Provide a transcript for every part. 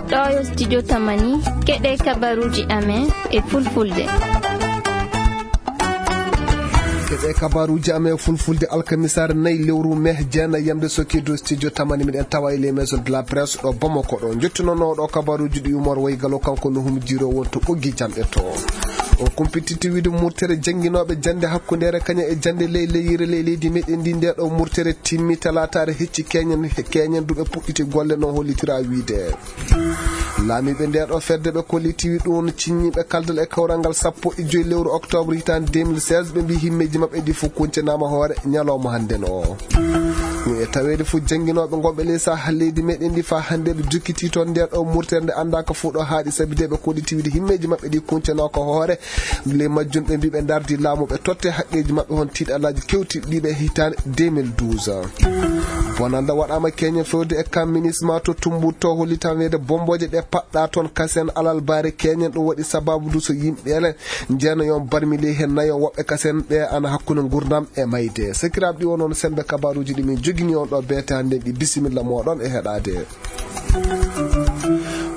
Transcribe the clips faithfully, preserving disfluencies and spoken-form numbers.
Ɗo yo studio Tamani, keɗe kabaruji amen e fulfulde. Keɗe kabaruji amen e fulfulde alkamisaare nayi lewru mai jeenayi yamde soki dow studio Tamani, miɗen tawa e les maisons de la presse ɗo Bamako ɗo. Jottinooɗo ɗo kabaruji ɗi Umar Waygalo, kanko no humjiro wonto ɓoggi janɗe to. O kumpititi wiide murtere jannginooɓe jannde hakkundeere kañum e jannde ley leyire ley leydi meɗen ndi, nde ɗo murtere timmi talaataare hecci keñen, keñen duɓe puɗɗiti golle no hollitira wiide. Laamiiɓe nde ɗo fedde ɓe kollitiwi ɗum ciññiiɓe kaldal e kawral ngal sappo e joyi lewru octobre hitaande deux mille seize, ɓe mbi himmeeji maɓɓe ɗi fof kuncanaama hoore ñalawma hannden o. Ɗum e taweede fof jannginooɓe ngonɓe ley saha leydi meɗen ndi faa hannde ɓe jokkiti toon nde ɗo murtere nde anndaaka fof ɗo haaɗi, sabi de ɓe kollitiwi de himmeeji maɓɓe ɗi kuncanaaka hoore. Ley majjum ɓe mbi ɓe ndardi laamu ɓe totte haqqeeji maɓɓe hon tiiɗalaaji kewtiiɗi ɓe hitaande deux mille douze. Bonannda waɗaama keñen fewde e kam minisma to Tumbut to hollitan weede bombooje ɗe paɗɗa toon kasen alal baare keñen, ɗum waɗi sababu du so yimɓe ele njeena yon barmi ley heen nayon woɓɓe kasen ɓe ana hakkunde ngurdam e mayde. Sakiraaɓe ɗi wonoon sembe kabaruuji ɗi min jogini on ɗo beete hannden ɗi, bisimilla mooɗon e heɗaade.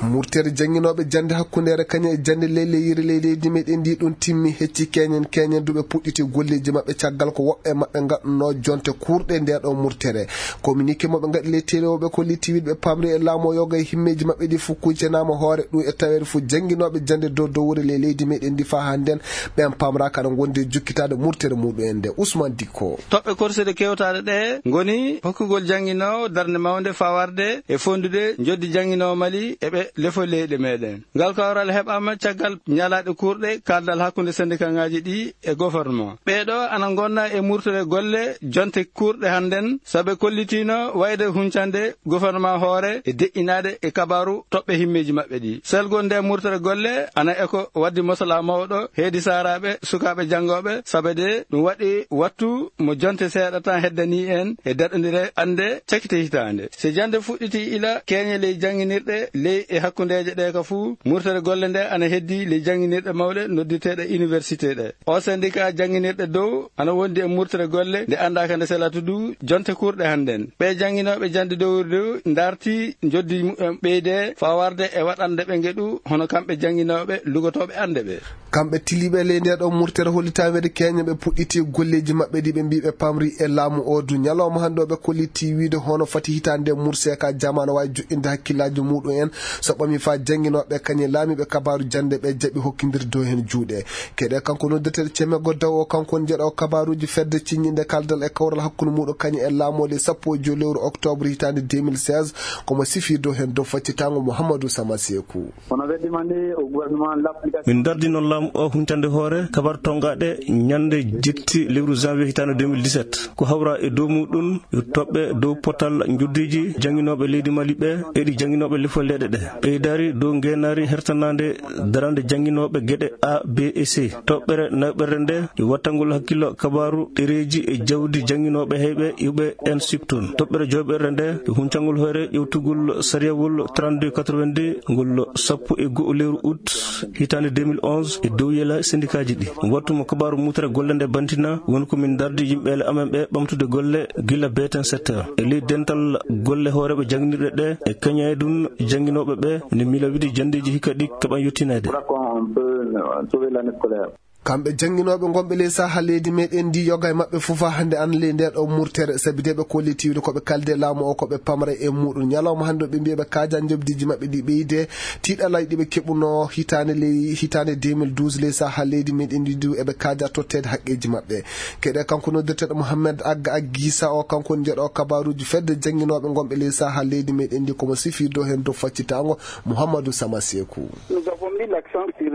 Murtere jannginooɓe jannde hakkundeere kañum e jannde ley leyire ley leydi meɗen ndi ɗum timmi hecci keñen, keñen duɓe puɗɗiti golleeji maɓɓe caggal ko woɓɓe maɓɓe ngaɗnoo jonte kuurɗe nde ɗo murtere. Communiqué mo ɓe ngaɗi ley télé o ɓe kolliti wiide ɓe pamri e laamu o yoga e himmeeji maɓɓe ɗi fof kuncanaama hoore ɗum e taweede fof jannginooɓe jannde dow dowre ley leydi meɗen ndi faa hannden ɓen pamraaka aɗa ngondi e jokkitaade murtere muɗum en nde. Ousmane Dikko. Toɓɓe korsuɗe kewtaɗe ɗe ngoni hokkugol jannginoowo darnde mawnde faa warde e fonndude njoddi jannginoowo Mali e ɓe lefol leyɗe meɗen. Ngal kawral heɓaama caggal ñalaaɗe kuurɗe kaaldal hakkunde sendikaŋaaji ɗi e gouvernement. Ɓee ɗo ana ngonna e murtere golle jonte kuurɗe hannden, sabe kollitiino wayde huncande gouvernement hoore e deƴƴinaade e kabaaru toɓɓe himmeeji maɓɓe ɗi. Selgol nde murtere golle ana e ko waddi mosalaa mawɗo heedi saaraaɓe, sukaaɓe janngooɓe, sabe de ɗum waɗi wattu mo jonte seeɗa tan heddanii en e daɗondire annde cakite hitaande. Se jannde fuɗɗiti ila keeñe ley jannginirɗe ley e hakkundeeje ɗe ka fuu, murtere golle nde ana heddi ley jannginirɗe mawɗe noddirteeɗe université ɗe. O syndicat jannginirɗe dow ana wondi e murtere golle nde anndaaka nde selata du jonte kuurɗe hannden. Ɓe jannginooɓe jannde dowri dow ndarti njoddi muɓɓen ɓeyde faa warde e waɗande ɓe ngeɗu hono kamɓe jannginooɓe lugotooɓe annde ɓe. Kamɓe tiliiɓe ley nde ɗo murtere hollitaweede keñe ɓe puɗɗiti golleeji maɓɓe ɗi ɓe mbi ɓe pamri e laamu o du. Ñalawma hannde o ɓe kolliti wiide hono fati hitaande murse ka jamaano waawi joɗɗinde hakkillaaji muɗum en so ɓami faa jannginooɓe kañe laamiiɓe kabaaru jannde ɓe jaɓi hokkindirde dow heen juuɗe. Keɗe kanko noddeteeɗo Cemego Daw o, kanko woni jeɗo kabaaruuji fedde ciññinde kaldal e kawral hakkunde muɗum kañum e laamooli sappo e joyi lewru octobre hitaande deux mille seize, komo sifii dow heen dow faccitaango Mouhamadou Sama Seeku. Kono weddima ni o gouvernement l'application. Min dardi noon laamu o huncande hoore kabar tongaɗe ñande jetti lewru janvier hitaande deux mille dix-sept. Ko hawra e dow muɗum yo toɓɓe dow potal njoddiji jannginooɓe leydi Mali ɓe e ɗi jannginooɓe lefol leyɗe ɗe. Ɓeydari dow ngeenaari hertanaande darande jannginooɓe geɗe A, B e C. Toɓɓere naɓɓere nde yo wattangol hakkillo kabaaru ɗereeji e jawdi jannginooɓe heyɓe iwɓe en siptun. Toɓɓere joyɓere nde yo huncangol hoore ƴewtugol sariyawol trente-deux quatre-vingt-deux ngol sappo e go'o lewru août hitaande deux mille onze e dow yela sendikaaji ɗi. Wattu mo kabaaru mutere golle nde bantina woni ko min dardi yimɓe ele amen ɓe ɓamtude golle gila beeten sept heures. E ley dental golle hooreeɓe jannginirɗe ɗe e kañaydun jannginooɓe ɓe ne miila wiide janndeeji hikka ɗi keɓan yettineede. Voilà comment on peut, euh, sauver l'année scolaire. Kamɓe jannginooɓe ngonɓe ley saha leydi meɗen ndi, yoga e maɓɓe fof haa hannde ana ley nde ɗo murtere, sabi de ɓe kolliti wiide ko ɓe kalde laamu o, ko ɓe pamra e muɗum. Ñalawma hannde o ɓe mbiya ɓe kaaja njoɓdiiji maɓɓe ɗi ɓeyde, tiiɗalaaji ɗi ɓe keɓunoo hitaande ley, hitaande deux mille douze ley saha leydi meɗen ndi du, eɓe kaaja totteede haqqeeji maɓɓe. Keɗe kanko noddirteeɗo Mohamed Agga Aggisa o, kanko woni jeɗo kabaaruuji fedde jannginooɓe ngonɓe ley saha leydi meɗen ndi, komo sifii dow heen dow faccitaango Mouhamadou Sama Seeku. Nous avons mis l'accent sur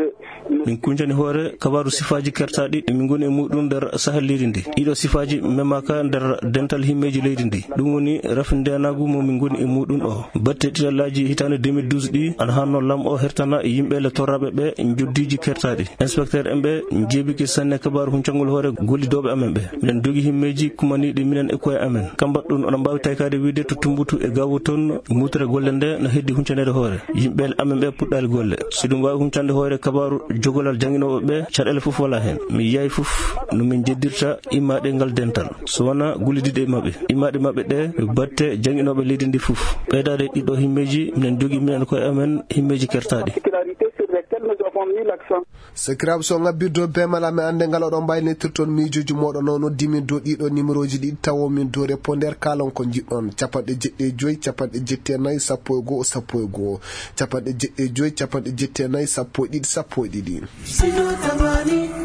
Min kuncani hoore kabaaru sifaaji kertaaɗi ɗi min ngoni e muɗum nder saha leydi ndi. Ɗiɗo sifaaji memaaka nder dental himmeeji leydi ndi. Ɗum woni rafi ndeenaagu mo min ngoni e muɗum o. Batte tiiɗalaaji hitaande deux mille douze ɗi ana hanno lam o hertana yimɓe le torraaɓe ɓe njoddiiji kertaaɗi. Inspecteur en ɓe njeebike sanne kabaaru huncangol hoore gollidooɓe amen ɓe. Miɗen dogi himmeeji kumaniiɗi minen e koye amen. Kambat ɗum oɗon mbaawi taykaade wiide to Tumbutu e Gaawo toon, mutere golle nde no heddi huncaneede hoore. Yimɓe amen ɓe puɗɗaali golle. Si ɗum waawi huncande hoore kabaaru Golal jannginooɓe ɓe, caɗeele fof wala heen. Mi yiyaay fof no min njeddirta immaaɗe ngal dental, so wonaa gollidiiɗe e maɓɓe. Immaaɗe maɓɓe ɗe, ɓe batte jannginooɓe leydi ndi fof. Ɓeydaade ɗiɗo himmeeji, minen njogii minen koye amen himmeeji kertaaɗi. Sakiraaɓe, so ngabbirde bee mala, mi annde ngal oɗon mbaylitirton miijooji mooɗon. Noon noddi min dow ɗiɗo numéroji ɗiɗi, tawo min dow répondeur, kaalon ko njiɗɗon. Capanɗe jeɗɗi e joy, capanɗe jetti e nayi, sappo e goo, sappo e goo. Capanɗe jeɗɗi e joy, capanɗe jetti e nayi, sappo e ɗiɗi, sappo e ɗiɗi.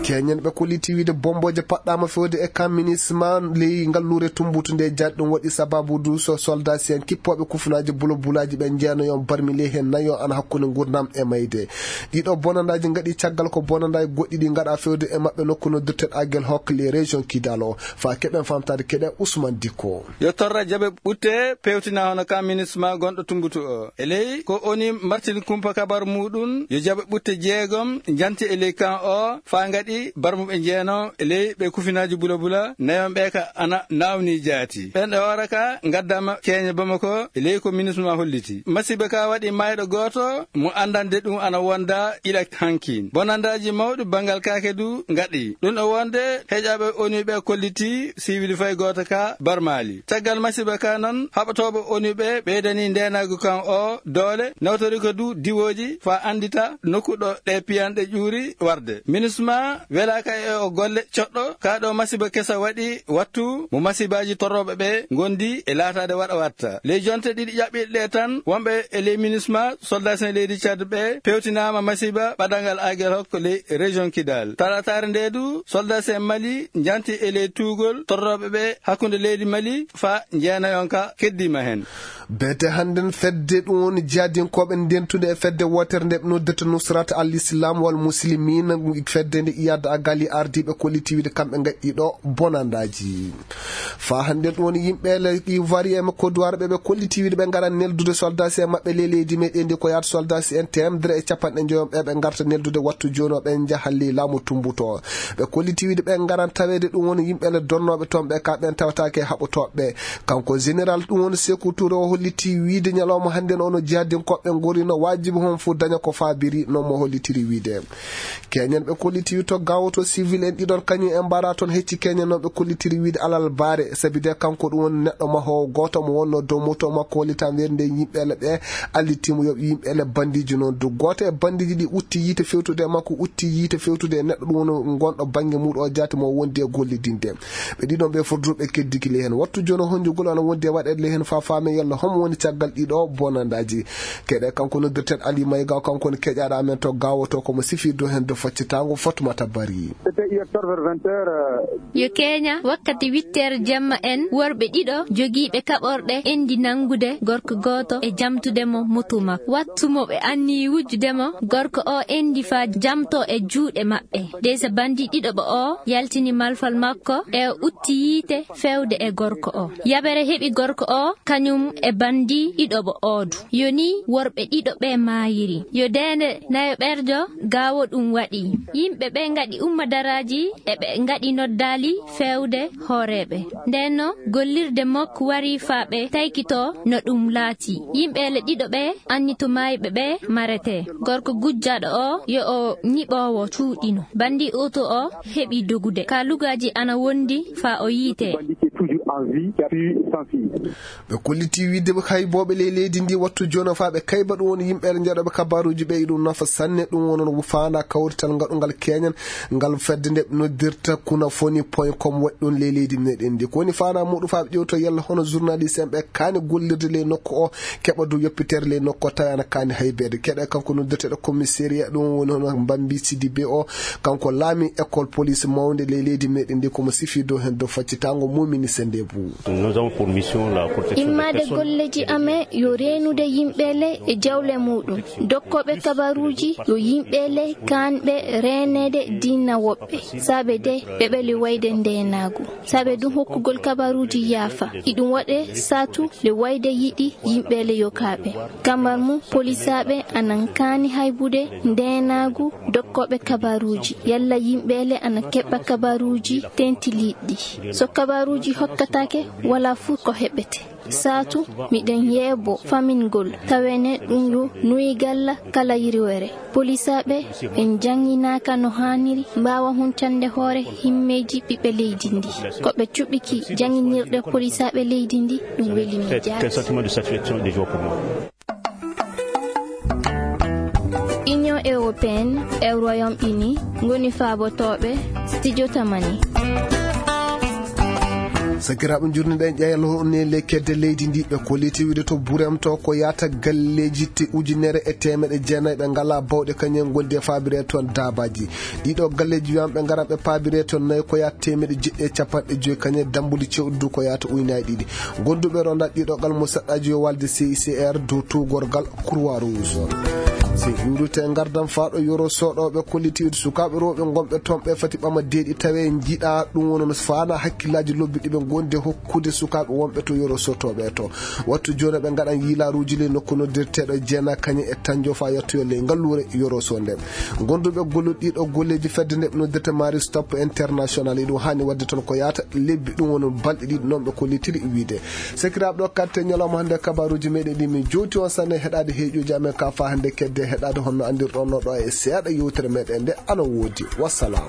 Keñen ɓe kolliti wiide bombooje paɗɗaama fewde e kan minisma ley ngalluure Tumbutu nde jaati. Ɗum waɗi sababu du so soldasi en kippooɓe kufunaaji bulobulaaji ɓe njeenayon barmi ley heen nayo ana hakkunde ngurdam e mayde. Ɗiɗo bonandaaji ngaɗi caggal ko bonandaaji goɗɗi ɗi ngaɗa fewde e maɓɓe nokku noddirteɗo Agel Hok ley région Kidal o. Fa keɓen famtaade keɗe Ousmane Dikko. Yo torra jaɓe ɓutte pewtina hono kan minisma gonɗo Tumbutu o. E ley ko oni martini kumpa kabar muɗum, yo jaɓe ɓutte jeegom njanti e ley kan o, faa ngaɗi barmuɓe njeeno e ley ɓe kufinaaji bula bula, nayon ɓe ka ana naawni jaati. Ɓen e hoore ka ngaddama keeñe Bamako e ley ko minisma holliti. Masiba ka waɗi mayɗo gooto mo anndande ɗum ana wonda ila hankin. Bonandaaji mawɗi banngal kaake du ngaɗi. Ɗum e wonde heƴaɓe oni ɓe kolliti siwil fay gooto ka barmaali. Caggal masiba ka non, haɓotooɓe oni ɓe ɓeydani ndeenaagu kan o doole, nawtori ko du diwooji faa anndita nokku ɗo ɗe piyanɗe ƴuuri warde. Minisma welaaka e o golle coɗɗo, ka ɗo masiba kesa waɗi wattu mo masibaaji torrooɓe ɓe ngondi e laataade waɗa watta. Ley jonte ɗiɗi ƴaɓɓiiɗe ɗe tan, wonɓe e ley minisma, soldat en leydi Tchad ɓe pewtinaama masiba ɓadangal Agel Hok ley région Kidal. Talataare nde du, soldat en Mali njanti e ley tuugol torrooɓe ɓe hakkunde leydi Mali faa njeenayon ka keddiima heen. Beete hannden fedde ɗum woni jihadinkooɓe ndentude e fedde wootere nde ɓe noddirta Nusrat al Islam wal Muslimin, fedde nde Iyad Agali ardiiɓe kolliti wiide kamɓe ngaɗɗi ɗo bonandaaji. Faa hannden ɗum woni yimɓe le Ivoirien e Côte d'Ivoire ɓe ɓe kolliti wiide ɓe ngaran neldude soldasi en maɓɓe ley leydi meɗen ndi ko yaata soldasi en teemedere e capanɗe njoyon ɓe ɓe ngarta neldude wattu jooni o ɓe njaha ley laamu Tumbutu. Ɓe kolliti wiide ɓe ngaran taweede ɗum woni yimɓe le donnooɓe toon ɓe ka ɓen tawataake haɓotooɓe. Kanko général ɗum woni Sekou Touré o holliti wiide ñalawma hannden ono jihadinkooɓe ngorino waajibi hon fof daña ko faabiri no mo hollitiri wiide. Keñen ɓe kolliti to gawoto civil en ɗiɗon kañum en mbara toon hecci keñen noon ɓe kollitiri wiide alal baare sabi de kanko ɗum woni neɗɗo mahoowo gooto mo wonno dow moto makko hollitan weerde yimɓe le ɓe allitimo yoɓ yimɓe le bandiji noon du gooto e bandiji ɗi utti yiite fewtude e makko utti yiite fewtude e neɗɗo ɗum woni gonɗo bannge muɗo o jaati mo wondi e gollidinde. Ɓe ɗiɗon ɓe fof du ɓe keddiki ley heen wattu jooni honjugol ana wondi e waɗeede ley heen faa faame yalla homo woni caggal ɗiɗo bonandaaji. Keɗe kanko noddirten Ali Mayga, kanko woni keƴaaɗo amen to gawoto, komo sifi dow heen do faccitango Fatmata Bari. Yo keña wakkati witteere jemma en worɓe ɗiɗo jogiiɓe kaɓorɗe endi nanngude gorko gooto e jamtude mo moto makko. Wattu mo ɓe anniyi wujjude mo, gorko o endi faa jamto e juuɗe maɓɓe. Dey so bandi ɗiɗo ɓo o yaltini malfal makko e utti yiite fewde e gorko o. Yabere heɓi gorko o kañum e bandi ɗiɗo ɓo o du. Yo ni worɓe ɗiɗo ɓe maayiri. Yo deende nayo ɓerjo gaawo ɗum waɗi. Yimɓe ɓe ngaɗi ummadaraaji e ɓe ngaɗi noddaali feewde hooreeɓe. Ndeen no gollirde makko wari faa ɓe taykitoo no ɗum laati. Yimɓe le ɗiɗo ɓe anni to maayɓe ɓe maretee. Gorko gujjaaɗo o yo o ñiɓoowo cuuɗino. Bandi oto o heɓi dogude. Ka lugaaji ana wondi faa o yiitee. Ɓe kolliti wiide haybooɓe ley leydi ndi wattu jono faa ɓe kayba ɗum woni yimɓe njaɗooɓe kabaruuji ɓe iɗum nafa sanne ɗum wono faanda kawrital ngaɗungal keñan ngal fedde nde noddirta kuna foni point com waɗi ɗum ley leydi meɗen ndi ko woni faanda muɗum faa ɓe ƴewto yalla hono journaliste en ɓe kaani gollirde ley nokku o keɓa du yoppitere ley nokku o tawi ana kaani haybeede keɗe kanko noddirteɗo commissariat ɗum woni hono mbambi sidibe o kanko laami école police mawnde ley leydi meɗen ndi komo sifi dow hen dow faccitango mumini sendebu. Immaade golleji amen yo reenude yimɓe le e jawle muɗum. Dokkooɓe kabaruuji yo yimɓe le kaanɓe reeneede diina woɓɓe. Saabe de ɓe ɓeli wayde ndeenaagu. Saabe ɗum hokkugol kabaruuji yaafa. Iɗum waɗe saatu le wayde yiɗi yimɓe le yokaaɓe. Kambar mum polisaaɓe anan kaani haybude ndeenaagu dokkooɓe kabaruuji. Yalla yimɓe le ana keɓɓa kabaruuji tentiliiɗi. So kabaruuji hokka Take wala fuu ko heɓete. Saatu miɗen yeebo famingol tawene ɗum yo nuyi galla kala yirwere. Polisaaɓe ɓe njannginaka no haaniri mbaawa huncande hoore himmeeji ɓiɓɓe leydi ndi. Ko ɓe cuɓiki jannginirɗe polisaaɓe leydi ndi, ɗum weli mi jaati. Union européenne e Royaume Uni ngoni faabotooɓe studio tamani. Sakiraaɓe, njurniɗen ƴeeñal honne lekkedde leydi ndi ɓe kolliti wiide to Burem to ko yaata galleeji te ujunere e teemeɗe jeenayi ɓe ngala bawɗe kañum en gondi e faabire toon daabaaji. Ɗiɗo galleeji wiyama ɓe ngaran ɓe paabire toon nayi ko yaata teemeɗe jeɗɗi e capanɗe joyi kañum e dambuɗi cewɗi du ko yaata uynaji ɗiɗi. Gonduɓe ronda ɗiɗo gal mo saɗɗaji yo walde C I C R dow tuugorgal Croix Rouge. Si ƴuurute ngardam faaɗo yoro soɗoɓe kollitiiɗo sukaaɓe rewɓe gonɓe toon ɓe fati ɓama deeɗi tawe jiɗa ɗum wono no faana hakkillaji lobbi ɗiɓe gondi hokkude sukaaɓe wonɓe to yoro sotoɓe to. Wattu jooni ɓe ngaɗan yiilaaruuji ley nokku noddirteeɗo Jeena Kañe e Tanjo fa yettoyo ley ngalluure Yoroso nden. Gonduɓe golluɗo ɗiɗo golleeji fedde nde ɓe noddirta Mari Stop International, iɗum haani waɗde toon ko yaata lebbi, ɗum woni balɗe ɗiɗi noon ɓe kollitiri wiide. Sakiraaɓe, ɗo katte ñalawma hannde kabaruuji meɗen ɗi min jowti on sanne heɗaade heeƴuuji amen ka fa hannde kedde heɗaade honno anndirɗon no ɗo e seeɗa yewtere meɗen nde ana woodi. Wassalam.